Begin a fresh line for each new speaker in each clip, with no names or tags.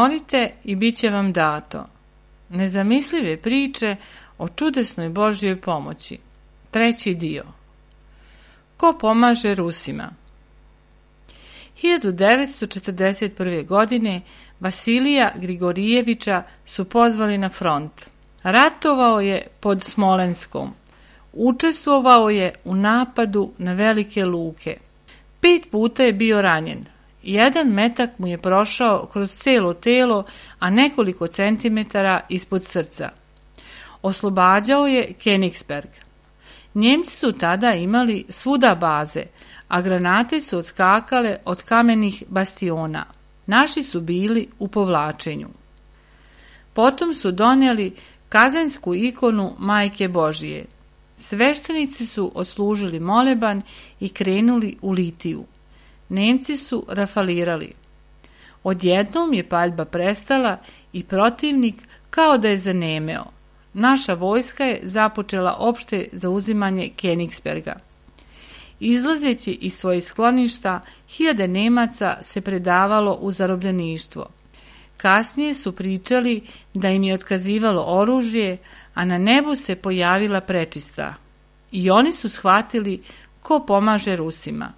Molite i bit će vam dato. Nezamislive priče o čudesnoj Božjoj pomoći. 3. dio. Ko pomaže Rusima? 1941. godine Vasilija Grigorijevića su pozvali na front. Ratovao je pod Smolenskom. Učestvovao je u napadu na velike luke. 5 puta je bio ranjen. Jedan metak mu je prošao kroz cijelo telo, a nekoliko centimetara ispod srca. Oslobađao je Königsberg. Njemci su tada imali svuda baze, a granate su odskakale od kamenih bastiona. Naši su bili u povlačenju. Potom su donijeli kazensku ikonu Majke Božije. Sveštenici su odslužili moleban i krenuli u litiju. Nemci su rafalirali. Odjednom je paljba prestala i protivnik kao da je zanemeo. Naša vojska je započela opšte zauzimanje Königsberga. Izlazeći iz svojih skloništa, hiljade Nemaca se predavalo u zarobljeništvo. Kasnije su pričali da im je otkazivalo oružje, a na nebu se pojavila prečista. I oni su shvatili ko pomaže Rusima.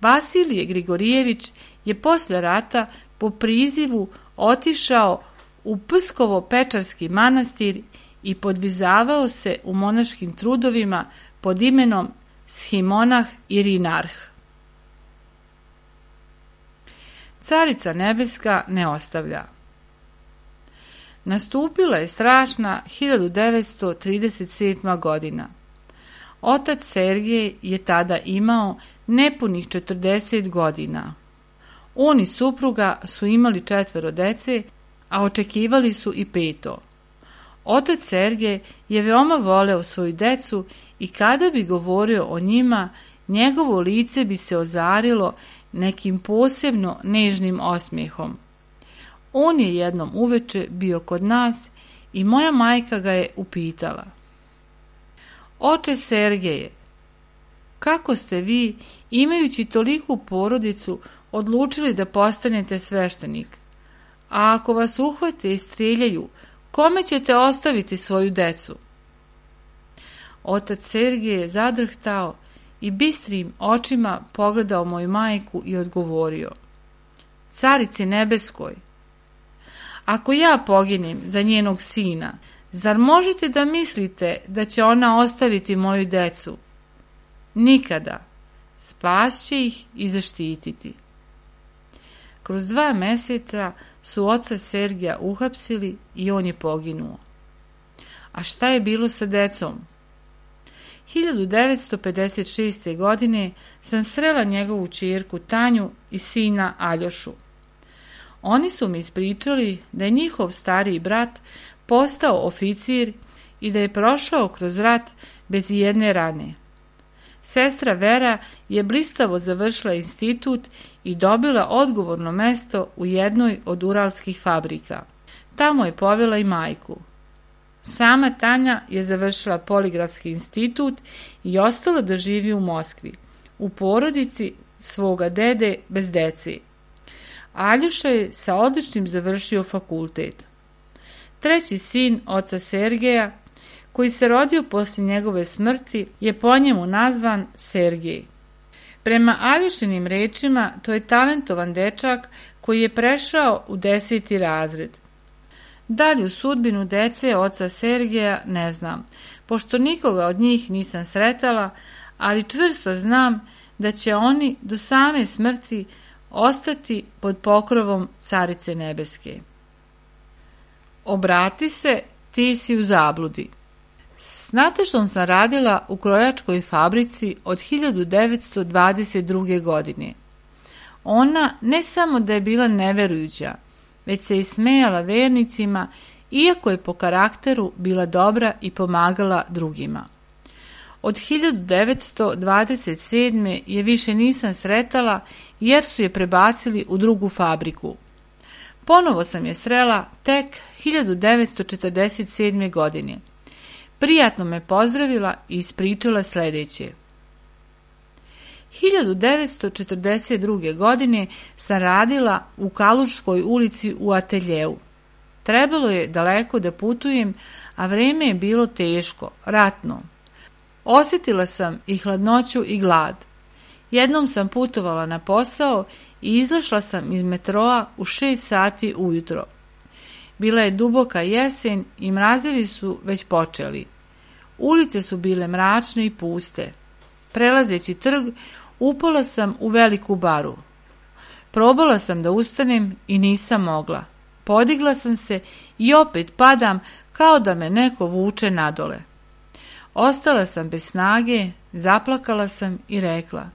Vasilije Grigorijević je posle rata po prizivu otišao u Pskovo-Pečarski manastir i podvizavao se u monaškim trudovima pod imenom Shimonah Irinarh. Carica nebeska ne ostavlja. Nastupila je strašna 1937. godina. Otac Sergej je tada imao nepunih 40 godina. On i supruga su imali 4 dece, a očekivali su i 5. Otac Sergej je veoma voleo svoju decu i kada bi govorio o njima, njegovo lice bi se ozarilo nekim posebno nežnim osmijehom. On je jednom uveče bio kod nas i moja majka ga je upitala: Oče Sergeje, kako ste vi, imajući toliku porodicu, odlučili da postanete sveštenik? A ako vas uhvate i strijeljaju, kome ćete ostaviti svoju decu? Otac Sergej je zadrhtao i bistrim očima pogledao moju majku i odgovorio: Carici nebeskoj, ako ja poginem za njenog sina, zar možete da mislite da će ona ostaviti moju decu? Nikada. Spašće ih i zaštititi. Kroz 2 meseca su oca Sergeja uhapsili i on je poginuo. A šta je bilo sa decom? 1956. godine sam srela njegovu ćerku Tanju i sina Aljošu. Oni su mi ispričali da je njihov stariji brat postao oficir i da je prošao kroz rat bez ijedne rane. Sestra Vera je blistavo završila institut i dobila odgovorno mesto u jednoj od uralskih fabrika. Tamo je povela i majku. Sama Tanja je završila poligrafski institut i ostala da živi u Moskvi, u porodici svoga dede bez dece. Aljoša je sa odličnim završio fakultet. 3. sin oca Sergeja, koji se rodio poslije njegove smrti, je po njemu nazvan Sergej. Prema Aljošinim rečima, to je talentovan dečak koji je prešao u 10. razred. Dalju sudbinu dece oca Sergeja ne znam, pošto nikoga od njih nisam sretala, ali čvrsto znam da će oni do same smrti ostati pod pokrovom Carice nebeske. Obrati se, ti si u zabludi. S Natašom sam radila u krojačkoj fabrici od 1922. godine. Ona ne samo da je bila neverujuća, već se i smejala vernicima, iako je po karakteru bila dobra i pomagala drugima. Od 1927. je više nisam sretala jer su je prebacili u drugu fabriku. Ponovo sam je srela tek 1947. godine. Prijatno me pozdravila i ispričala sljedeće. 1942. godine sam radila u Kalučkoj ulici u ateljeu. Trebalo je daleko da putujem, a vreme je bilo teško, ratno. Osjetila sam i hladnoću i glad. Jednom sam putovala na posao i izašla sam iz metroa u 6 sati ujutro. Bila je duboka jesen i mrazevi su već počeli. Ulice su bile mračne i puste. Prelazeći trg, upala sam u veliku baru. Probala sam da ustanem i nisam mogla. Podigla sam se i opet padam kao da me neko vuče nadole. Ostala sam bez snage, zaplakala sam i rekla: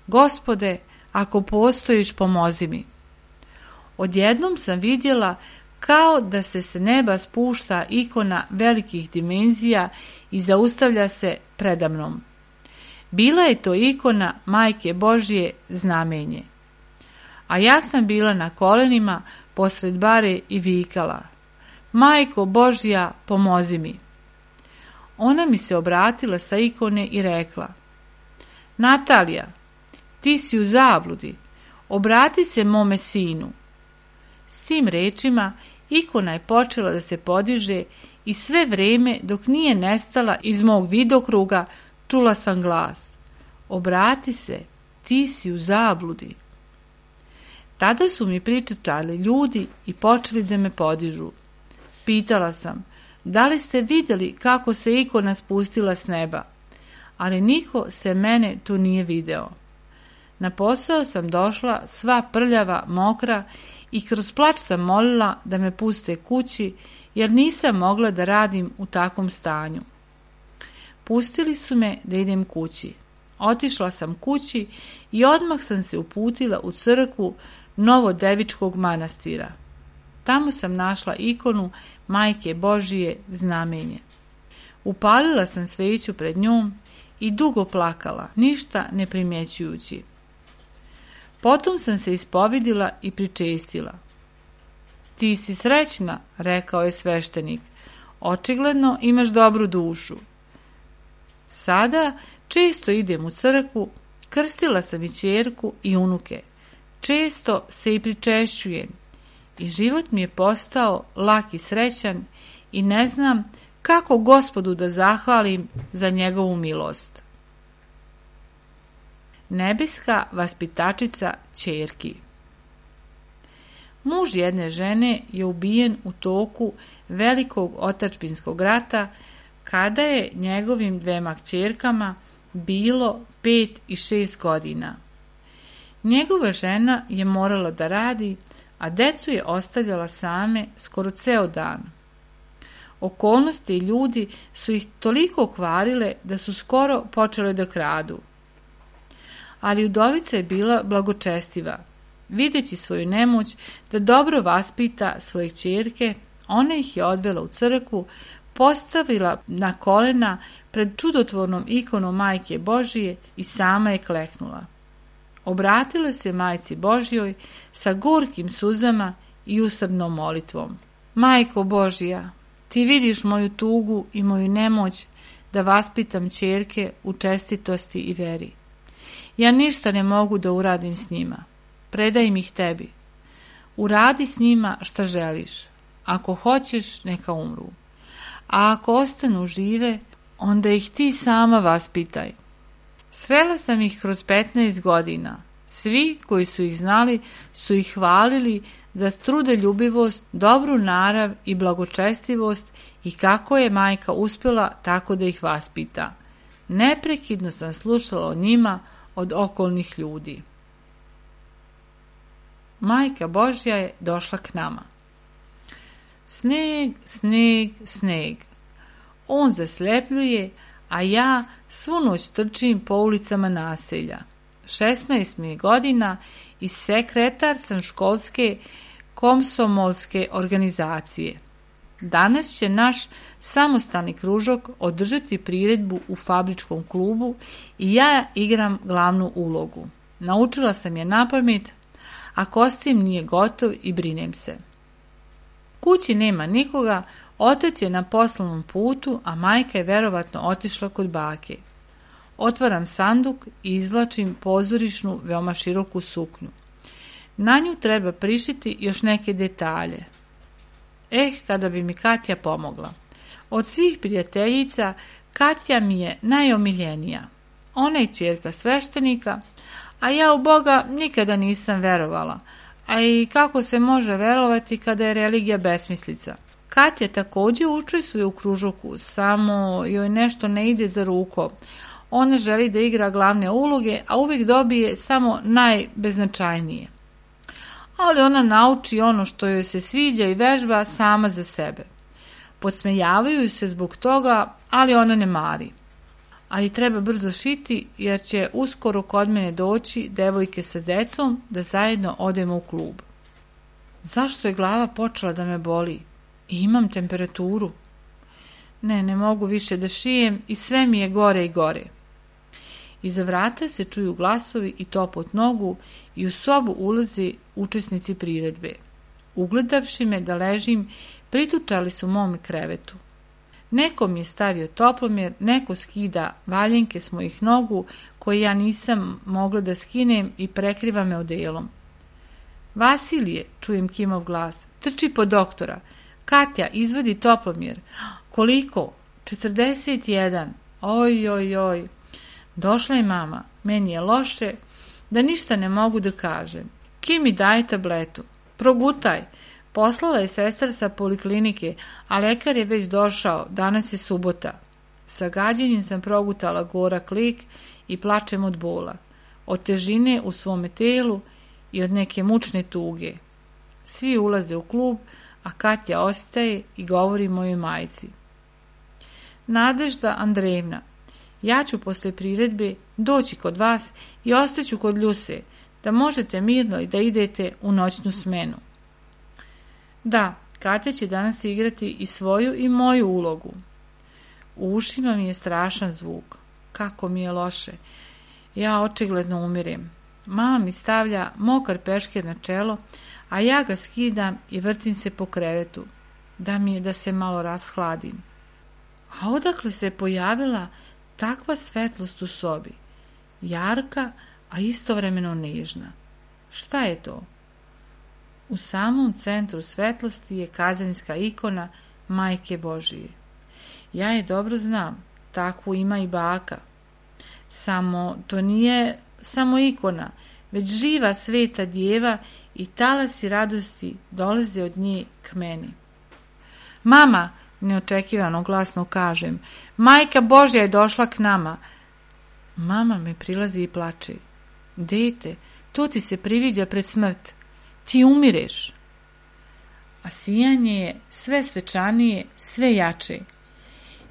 Gospode, ako postojiš, pomozi mi. Odjednom sam vidjela kao da se s neba spušta ikona velikih dimenzija i zaustavlja se predamnom. Bila je to ikona Majke Božje Znamenje. A ja sam bila na kolenima posred bare i vikala: Majko Božja, pomozi mi. Ona mi se obratila sa ikone i rekla: Natalija, ti si u zabludi, obrati se mome sinu. S tim rečima ikona je počela da se podiže i sve vrijeme dok nije nestala iz mog vidokruga čula sam glas: Obrati se, ti si u zabludi. Tada su mi pričali ljudi i počeli da me podižu. Pitala sam: Da li ste vidjeli kako se ikona spustila s neba? Ali niko se mene tu nije video. Na posao sam došla sva prljava, mokra i kroz plač sam molila da me puste kući jer nisam mogla da radim u takvom stanju. Pustili su me da idem kući. Otišla sam kući i odmah sam se uputila u crkvu Novodevičkog manastira. Tamo sam našla ikonu Majke Božije Znamenje. Upalila sam sveću pred njom i dugo plakala, ništa ne primjećujući. Potom sam se ispovedila i pričestila. Ti si srećna, rekao je sveštenik. Očigledno imaš dobru dušu. Sada često idem u crkvu, krstila sam i ćerku i unuke. Često se i pričešćujem i život mi je postao lak i srećan i ne znam kako Gospodu da zahvalim za njegovu milost. Nebeska vaspitačica ćerki. Muž jedne žene je ubijen u toku velikog otadžbinskog rata kada je njegovim 2 kćerkama bilo 5 i 6 godina. Njegova žena je morala da radi, a decu je ostavljala same skoro ceo dan. Okolnosti i ljudi su ih toliko kvarile da su skoro počele da kradu. Ali udovica je bila blagočestiva. Videći svoju nemoć da dobro vaspita svoje kćerke, ona ih je odvela u crkvu, postavila na kolena pred čudotvornom ikonom Majke Božije i sama je kleknula. Obratila se Majci Božjoj sa gorkim suzama i usrdnom molitvom. Majko Božja, ti vidiš moju tugu i moju nemoć da vaspitam ćerke u čestitosti i veri. Ja ništa ne mogu da uradim s njima. Predajem ih tebi. Uradi s njima šta želiš. Ako hoćeš, neka umru. A ako ostanu žive, onda ih ti sama vaspitaj. Srela sam ih kroz 15 godina. Svi koji su ih znali su ih hvalili za trudoljubivost, dobru narav i blagočestivost i kako je majka uspjela tako da ih vaspita. Neprekidno sam slušala o njima od okolnih ljudi. Majka Božja je došla k nama. Sneg, sneg, sneg. On zaslepljuje, a ja svu noć trčim po ulicama naselja. 16 mi je godina i sekretar sam školske komsomolske organizacije. Danas će naš samostalni kružok održati priredbu u fabričkom klubu i ja igram glavnu ulogu. Naučila sam je napamet, a kostim nije gotov i brinem se. Kući nema nikoga, otac je na poslovnom putu, a majka je verovatno otišla kod bake. otvaram sanduk i izvlačim pozorišnu, veoma široku suknju. Na nju treba prišiti još neke detalje. Kada bi mi Katja pomogla. Od svih prijateljica, Katja mi je najomiljenija. Ona je ćerka sveštenika, a ja u Boga nikada nisam verovala, a i kako se može verovati kada je religija besmislica. Katja također učestvuje u kružoku, samo joj nešto ne ide za rukom. Ona želi da igra glavne uloge, a uvijek dobije samo najbeznačajnije. Ali ona nauči ono što joj se sviđa i vežba sama za sebe. Podsmejavaju se zbog toga, ali ona ne mari. Ali treba brzo šiti, jer će uskoro kod mene doći devojke sa decom da zajedno odemo u klub. Zašto je glava počela da me boli? I imam temperaturu. Ne mogu više da šijem i sve mi je gore i gore. Iza vrata se čuju glasovi i topot nogu i u sobu ulaze učesnici priredbe. Ugledavši me da ležim, pritučali su mome krevetu. Neko mi je stavio toplomjer, neko skida valjenke s mojih nogu, koje ja nisam mogla da skinem i prekriva me odelom. Vasilije, čujem Kimov glas, trči po doktora. Katja, izvadi toplomjer. Koliko? 41. Oj. Došla je mama. Meni je loše, da ništa ne mogu da kažem. Kimi, daj tabletu. Progutaj. Poslala je sestra sa poliklinike, a lekar je već došao, danas je subota. Sa gađenjem sam progutala gorak lik i plačem od bola, od težine u svome telu i od neke mučne tuge. Svi ulaze u klub, a Katja ostaje i govori mojoj majci. Nadežda Andrejevna, ja ću posle priredbe doći kod vas i ostaću kod Ljuse, da možete mirno i da idete u noćnu smenu. Da, Katja će danas igrati i svoju i moju ulogu. U ušima mi je strašan zvuk. Kako mi je loše. Ja očigledno umirem. Mama mi stavlja mokar peškir na čelo, a ja ga skidam i vrtim se po krevetu, da mi je da se malo rashladim. A odakle se pojavila takva svetlost u sobi? Jarka, a istovremeno nežna. Šta je to? U samom centru svetlosti je kazanjska ikona Majke Božije. Ja je dobro znam, takvu ima i baka. Samo to nije samo ikona, već živa sveta djeva i talasi radosti dolaze od nje k meni. Mama, neočekivano glasno kažem, Majka Božja je došla k nama. Mama me prilazi i plače. Dete, to ti se priviđa pred smrt. Ti umireš. A sijanje je sve svečanije, sve jače.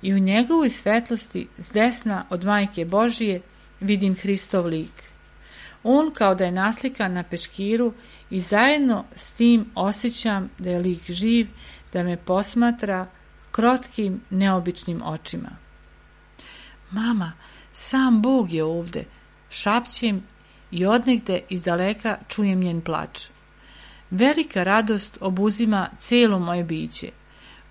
I u njegovoj svetlosti s desna od Majke Božije vidim Hristov lik. On kao da je naslikan na peškiru i zajedno s tim osjećam da je lik živ, da me posmatra krotkim, neobičnim očima. Mama, sam Bog je ovde, šapćem i odnegde izdaleka čujem njen plač. Velika radost obuzima cijelo moje biće.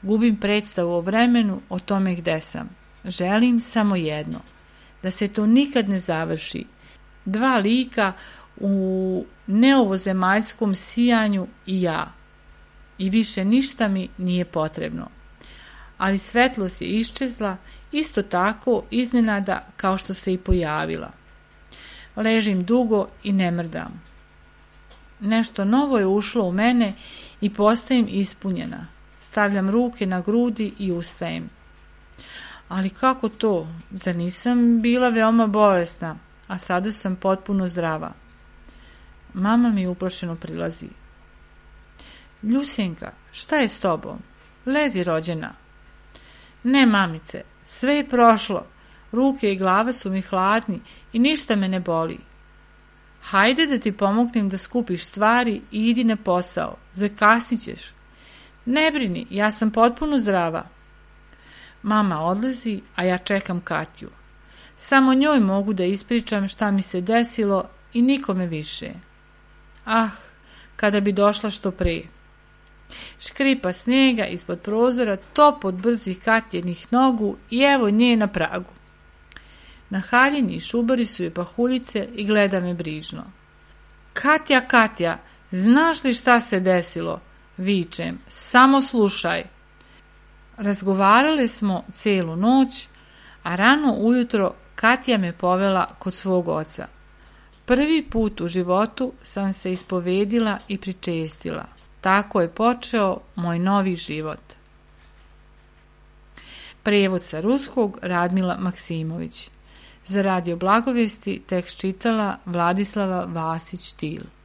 Gubim predstavu o vremenu, o tome gde sam. Želim samo jedno, da se to nikad ne završi. Dva lika u neovozemaljskom sijanju i ja. I više ništa mi nije potrebno. Ali svetlost je iščezla, isto tako iznenada kao što se i pojavila. Ležim dugo i ne mrdam. Nešto novo je ušlo u mene i postajem ispunjena. Stavljam ruke na grudi i ustajem. Ali kako to? Zar nisam bila veoma bolesna, a sada sam potpuno zdrava? Mama mi uplašeno prilazi. Ljusenka, šta je s tobom? Lezi, rođena. Ne, mamice, sve je prošlo. Ruke i glava su mi hladni i ništa me ne boli. Hajde da ti pomognem da skupiš stvari i idi na posao. Zakasnit ćeš. Ne brini, ja sam potpuno zdrava. Mama odlazi, a ja čekam Katju. Samo njoj mogu da ispričam šta mi se desilo i nikome više. Ah, kada bi došla što pre. Škripa snijega ispod prozora, top od brzih Katjenih nogu i evo nje na pragu. Nahaljeni i šubari su je pahuljice i gleda me brižno. Katja, Katja, znaš li šta se desilo? Vičem, samo slušaj. Razgovarale smo celu noć, a rano ujutro Katja me povela kod svog oca. Prvi put u životu sam se ispovedila i pričestila. Tako je počeo moj novi život. Prijevod sa ruskog Radmila Maksimović. Za Radio Blagovesti tekst čitala Vladislava Vasić-Til.